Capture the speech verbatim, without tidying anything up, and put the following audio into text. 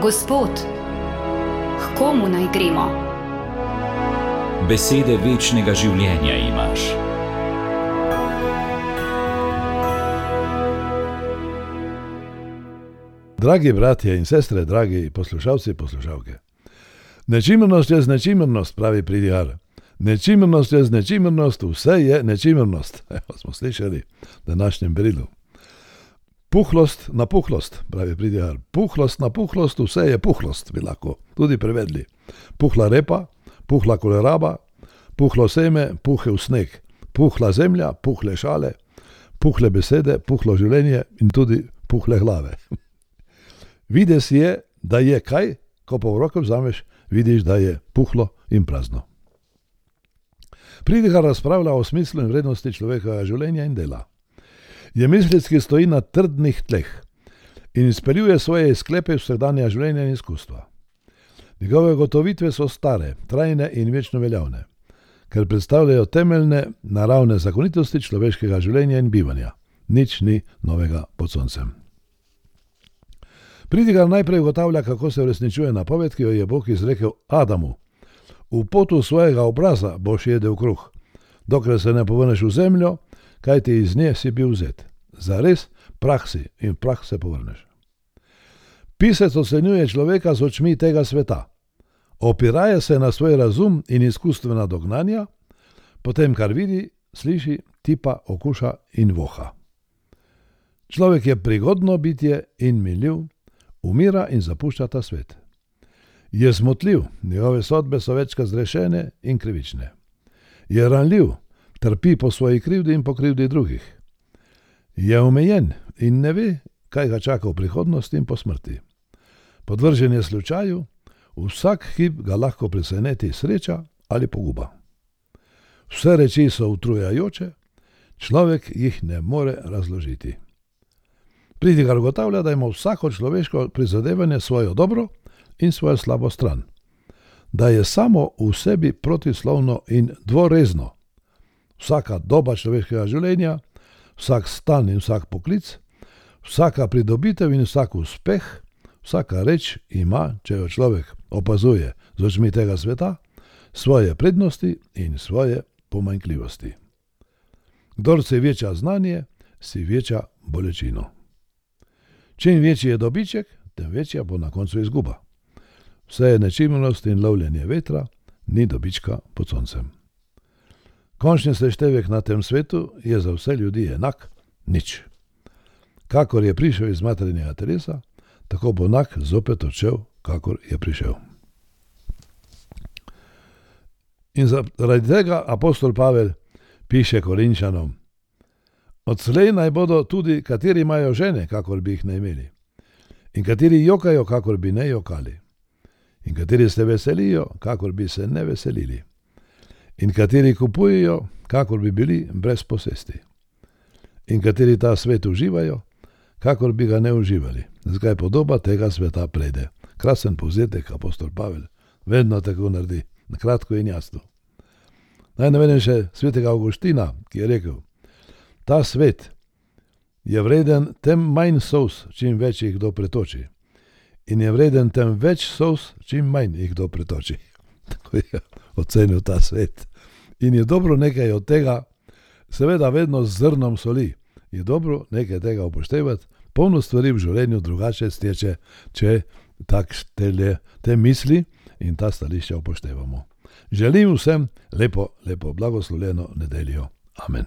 Gospod, k komu naj gremo? Besede večnega življenja imaš. Dragi bratje in sestre, dragi poslušalci, poslušalke. Nečimrnost je značimernost, pravi pridigar. Nečimrnost je značimernost, vse je nečimrnost. Evo smo slišali v današnjem berilu. Puhlost na puhlost, pravi pridigar. Puhlost na puhlost, vse je puhlost, bi lahko tudi prevedli. Puhla repa, puhla koleraba, puhlo seme, puhel sneg, puhla zemlja, puhle šale, puhle besede, puhlo življenje in tudi puhle glave. Vides je, da je kaj, ko pa v roke vzameš, vidiš, da je puhlo in prazno. Pridigar razpravlja o smislu in vrednosti človekovega življenja in dela. Je mislic, ki stoji na trdnih tleh in izpeljuje svoje sklepe vsakdanja življenja in izkustva. Njegove gotovitve so stare, trajne in večno veljavne, ker predstavljajo temeljne naravne zakonitosti človeškega življenja in bivanja. Nič ni novega pod soncem. Pridigar najprej ugotavlja, kako se uresničuje napoved, ki jo je Bog izrekel Adamu. V potu svojega obraza boš jedel kruh, dokler se ne povrneš v zemljo, kajti iz nje si bil vzet. Zares prah si in v prah se povrneš. Pisec ocenjuje človeka z očmi tega sveta. Opiraje se na svoj razum in izkustvena dognanja, potem kar vidi, sliši, tipa, okuša in voha. Človek je prigodno bitje in miljiv, umira in zapušča ta svet. Je zmotljiv, njegove sodbe so večkrat zgrešene in krivične. Je ranljiv, trpi po svoji krivdi in po krivdi drugih. Je omejen in ne ve, kaj ga čaka v prihodnosti in po smrti. Podvržen je slučaju, vsak hip ga lahko preseneti sreča ali poguba. Vse reči so utrujajoče, človek jih ne more razložiti. Pridigar ugotavlja, da ima vsako človeško prizadevanje svojo dobro in svojo slabo stran. Da je samo v sebi protislovno in dvorezno. Vsaka doba človeškega življenja, vsak stan in vsak poklic, vsaka pridobitev in vsak uspeh, vsaka reč ima, če jo človek opazuje z očmi tega sveta, svoje prednosti in svoje pomanjkljivosti. Kdor si veča znanje, si veča bolečino. Čim večji je dobiček, tem večja bo na koncu izguba. Vse je nečimrnost in lovljenje vetra, ni dobička pod soncem. Končni seštevek na tem svetu je za vse ljudi enak, nič. Kakor je prišel iz materinega telesa, tako bo enak zopet odšel, kakor je prišel. In zaradi tega apostol Pavel piše Korinčanom: Odslej naj bodo tudi, kateri imajo žene, kakor bi jih ne imeli, in kateri jokajo, kakor bi ne jokali, in kateri se veselijo, kakor bi se ne veselili, in kateri kupujejo, kakor bi bili brez posesti, in kateri ta svet uživajo, kakor bi ga ne uživali. Zakaj podoba tega sveta prejde. Krasen povzetek, apostol Pavel vedno tako naredi, na kratko in jasno. Naj navedem še svetega Avguština, ki je rekel: Ta svet je vreden tem manj solz, čim več jih kdo pretoči, in je vreden tem več solz, čim manj jih kdo pretoči. Tako je ocenil ta svet. In je dobro nekaj od tega, seveda vedno z zrnom soli, je dobro nekaj tega upoštevati, polno stvari v življenju drugače steče, če tak tele, te misli in ta stališča upoštevamo. Želim vsem lepo, lepo blagoslovljeno nedeljo. Amen.